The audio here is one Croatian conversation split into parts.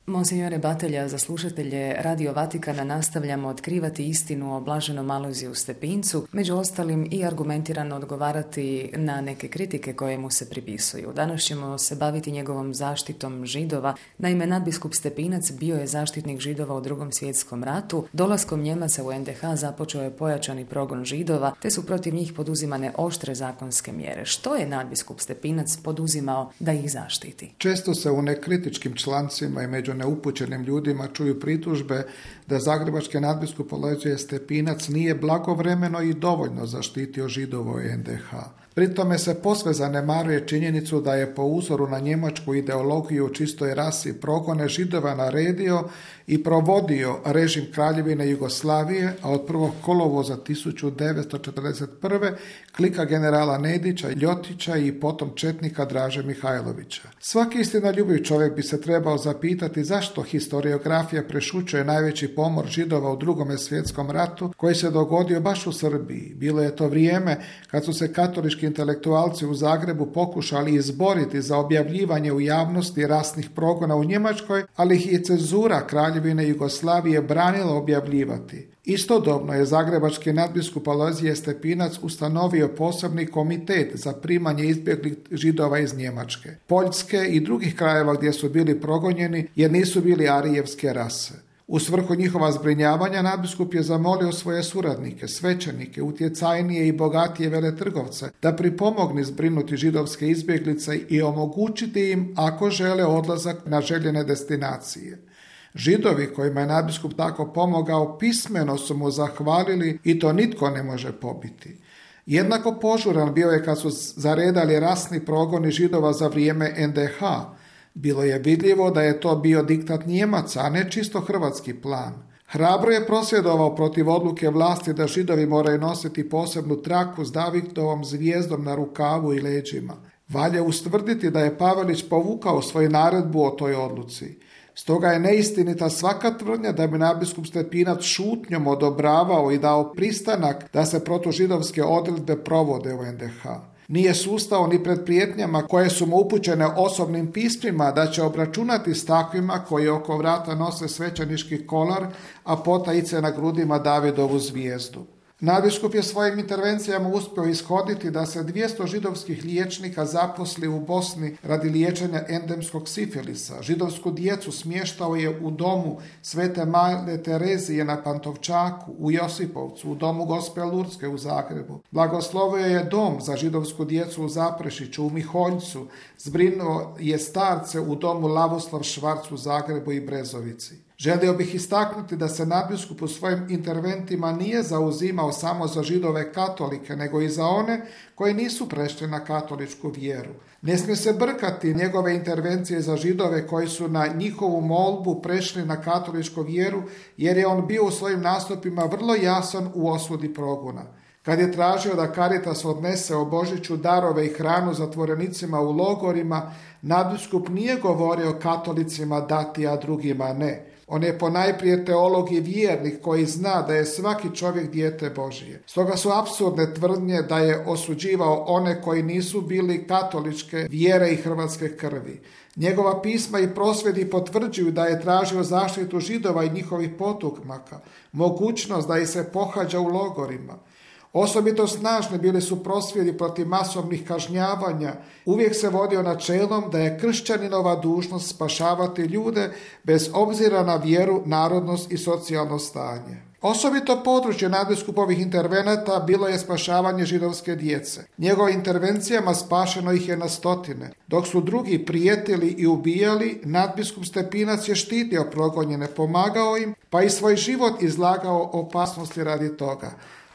Monsignore Batelja, za slušatelje Radio Vatikana nastavljamo otkrivati istinu o blaženom Alojziju Stepincu, među ostalim i argumentirano odgovarati na neke kritike koje mu se pripisuju. Danas ćemo se baviti njegovom zaštitom Židova. Naime, nadbiskup Stepinac bio je zaštitnik Židova u Drugom svjetskom ratu. Dolaskom Njemaca u NDH započeo je pojačani progon Židova, te su protiv njih poduzimane oštre zakonske mjere. Što je nadbiskup Stepinac poduzimao da ih zaštiti? Često se u nekritičkim člancima i među neupućenim ljudima čuju pritužbe da zagrebački nadbiskup Alojzije Stepinac nije blagovremeno i dovoljno zaštitio Židova u NDH. Pri tome se posve zanemaruje činjenicu da je po uzoru na njemačku ideologiju u čistoj rasi progone Židova naredio i provodio režim Kraljevine Jugoslavije, a od 1. kolovoza 1941. klika generala Nedića, Ljotića i potom četnika Draže Mihajlovića. Svaki istinoljubiv čovjek bi se trebao zapitati zašto historiografija prešućuje najveći pomor Židova u Drugom svjetskom ratu koji se dogodio baš u Srbiji. Bilo je to vrijeme kad su se katolički intelektualci u Zagrebu pokušali izboriti za objavljivanje u javnosti rasnih progona u Njemačkoj, ali ih je cenzura Kraljevine Jugoslavije branila objavljivati. Istodobno je zagrebački nadbiskup Alojzije Stepinac ustanovio posebni komitet za primanje izbjeglih Židova iz Njemačke, Poljske i drugih krajeva gdje su bili progonjeni jer nisu bili arijevske rase. U svrhu njihova zbrinjavanja nadbiskup je zamolio svoje suradnike, svećenike, utjecajnije i bogatije veletrgovce da pripomognu zbrinuti židovske izbjeglice i omogućiti im, ako žele, odlazak na željene destinacije. Židovi kojima je nadbiskup tako pomogao pismeno su mu zahvalili i to nitko ne može pobiti. Jednako požuran bio je kad su zaredali rasni progoni Židova za vrijeme NDH. Bilo je vidljivo da je to bio diktat Njemaca, a ne čisto hrvatski plan. Hrabro je prosvjedovao protiv odluke vlasti da Židovi moraju nositi posebnu traku s Davidovom zvijezdom na rukavu i leđima. Valja ustvrditi da je Pavelić povukao svoju naredbu o toj odluci. Stoga je neistinita svaka tvrdnja da bi nadbiskup Stepinac šutnjom odobravao i dao pristanak da se protužidovske odredbe provode u NDH. Nije sustao ni pred prijetnjama koje su mu upućene osobnim pismima da će obračunati s takvima koji oko vrata nose svećenički kolar, a potajice na grudima Davidovu zvijezdu. Nadbiskup je svojim intervencijama uspio ishoditi da se 200 židovskih liječnika zaposli u Bosni radi liječenja endemskog sifilisa. Židovsku djecu smještao je u domu Svete Majle Terezije na Pantovčaku, u Josipovcu, u domu Gospe Lurske u Zagrebu. Blagoslovio je dom za židovsku djecu u Zaprešiću, u Miholjcu. Zbrinuo je starce u domu Lavoslav Švarc u Zagrebu i Brezovici. Želio bih istaknuti da se nadbiskup u svojim interventima nije zauzimao samo za Židove katolike, nego i za one koji nisu prešli na katoličku vjeru. Ne smije se brkati njegove intervencije za Židove koji su na njihovu molbu prešli na katoličku vjeru, jer je on bio u svojim nastupima vrlo jasan u osudi progona. Kad je tražio da Caritas odnese o Božiću darove i hranu zatvorenicima u logorima, nadbiskup nije govorio katolicima dati, a drugima ne. On je ponajprije teolog i vjernik koji zna da je svaki čovjek dijete Božije. Stoga su apsurdne tvrdnje da je osuđivao one koji nisu bili katoličke vjere i hrvatske krvi. Njegova pisma i prosvjedi potvrđuju da je tražio zaštitu Židova i njihovih potomaka, mogućnost da ih se pohađa u logorima. Osobito snažni bili su prosvjedi protiv masovnih kažnjavanja. Uvijek se vodio načelom da je kršćaninova dužnost spašavati ljude bez obzira na vjeru, narodnost i socijalno stanje. Osobito područje nadbiskupovih intervenata bilo je spašavanje židovske djece. Njegovim intervencijama spašeno ih je na stotine. Dok su drugi prijetili i ubijali, nadbiskup Stepinac je štitio progonjene, pomagao im, pa i svoj život izlagao opasnosti radi toga.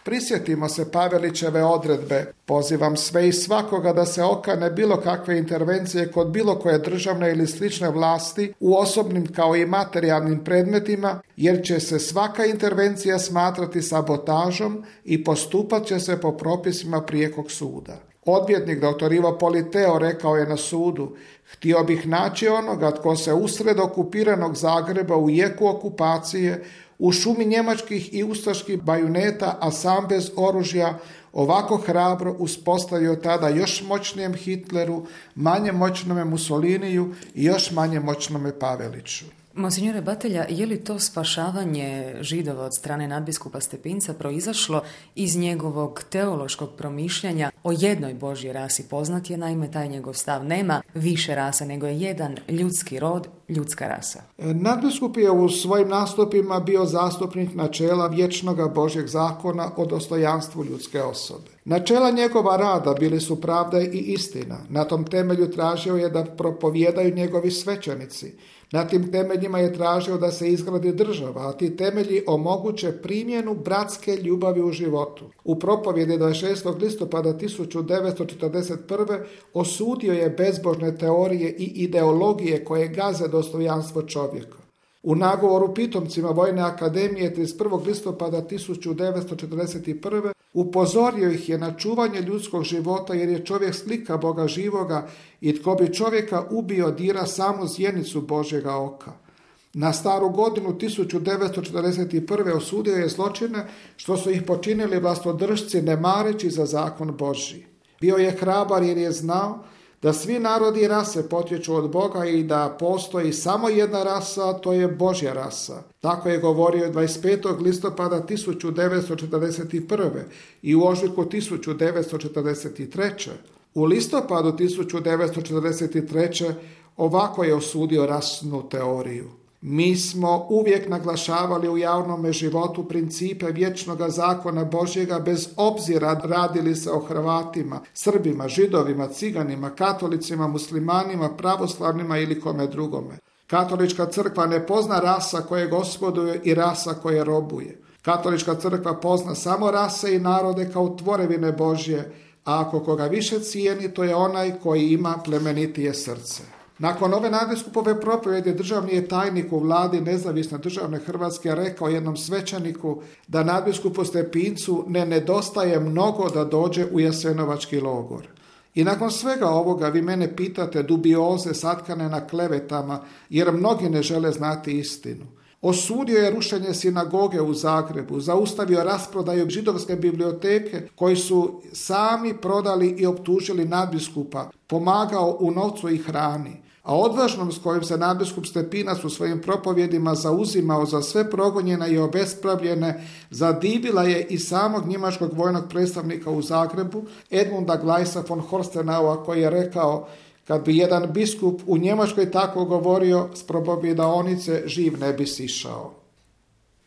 Prisjetimo se Pavelićeve odredbe. Pozivam sve i svakoga da se okane bilo kakve intervencije kod bilo koje državne ili slične vlasti u osobnim kao i materijalnim predmetima, jer će se svaka intervencija smatrati sabotažom i postupat će se po propisima prijekog suda. Odvjetnik dr. Ivo Politeo rekao je na sudu: htio bih naći onoga tko se usred okupiranog Zagreba u jeku okupacije, u šumi njemačkih i ustaških bajuneta, a sam bez oružja, ovako hrabro uspostavio tada još moćnijem Hitleru, manje moćnome Mussoliniju i još manje moćnome Paveliću. Monsignore Batelja, je li to spašavanje Židova od strane nadbiskupa Stepinca proizašlo iz njegovog teološkog promišljanja o jednoj Božjoj rasi? Poznat je, naime, taj njegov stav. Nema više rasa, nego je jedan ljudski rod, ljudska rasa. Nadbiskup je u svojim nastupima bio zastupnik načela vječnog Božjeg zakona o dostojanstvu ljudske osobe. Načela njegova rada bili su pravda i istina. Na tom temelju tražio je da propovijedaju njegovi svećenici. Na tim temeljima je tražio da se izgradi država, a ti temelji omoguće primjenu bratske ljubavi u životu. U propovjedi 26. listopada 1941. osudio je bezbožne teorije i ideologije koje gaze dostojanstvo čovjeka. U nagovoru pitomcima Vojne akademije 31. listopada 1941. upozorio ih je na čuvanje ljudskog života, jer je čovjek slika Boga živoga i tko bi čovjeka ubio dira samu zjenicu Božjega oka. Na staru godinu 1941. osudio je zločine što su ih počinili vlastodržci ne mareći za zakon Božji. Bio je hrabar jer je znao da svi narodi i rase potječu od Boga i da postoji samo jedna rasa, a to je Božja rasa. Tako je govorio 25. listopada 1941. i u ožujku 1943. U listopadu 1943. ovako je osudio rasnu teoriju. Mi smo uvijek naglašavali u javnom životu principe vječnog zakona Božjega bez obzira radili se o Hrvatima, Srbima, Židovima, Ciganima, katolicima, muslimanima, pravoslavnima ili kome drugome. Katolička crkva ne pozna rasa koje gospoduje i rasa koje robuje. Katolička crkva pozna samo rase i narode kao tvorevine Božje, a ako koga više cijeni, to je onaj koji ima plemenitije srce. Nakon ove nadbiskupove propovjedi državni je tajnik u vladi Nezavisne državne Hrvatske rekao jednom svećeniku da nadbiskupu Stepincu ne nedostaje mnogo da dođe u Jasenovački logor. I nakon svega ovoga vi mene pitate dubioze satkane na klevetama, jer mnogi ne žele znati istinu. Osudio je rušenje sinagoge u Zagrebu, zaustavio rasprodaju židovske biblioteke koji su sami prodali i optužili nadbiskupa, pomagao u novcu i hrani. A odvažnom s kojim se nadbiskup Stepinac u svojim propovjedima zauzimao za sve progonjene i obespravljene, zadivila je i samog njemačkog vojnog predstavnika u Zagrebu, Edmunda Glajsa von Horstenaua, koji je rekao: kad bi jedan biskup u Njemačkoj tako govorio, s propovjedaonice živ ne bi sišao.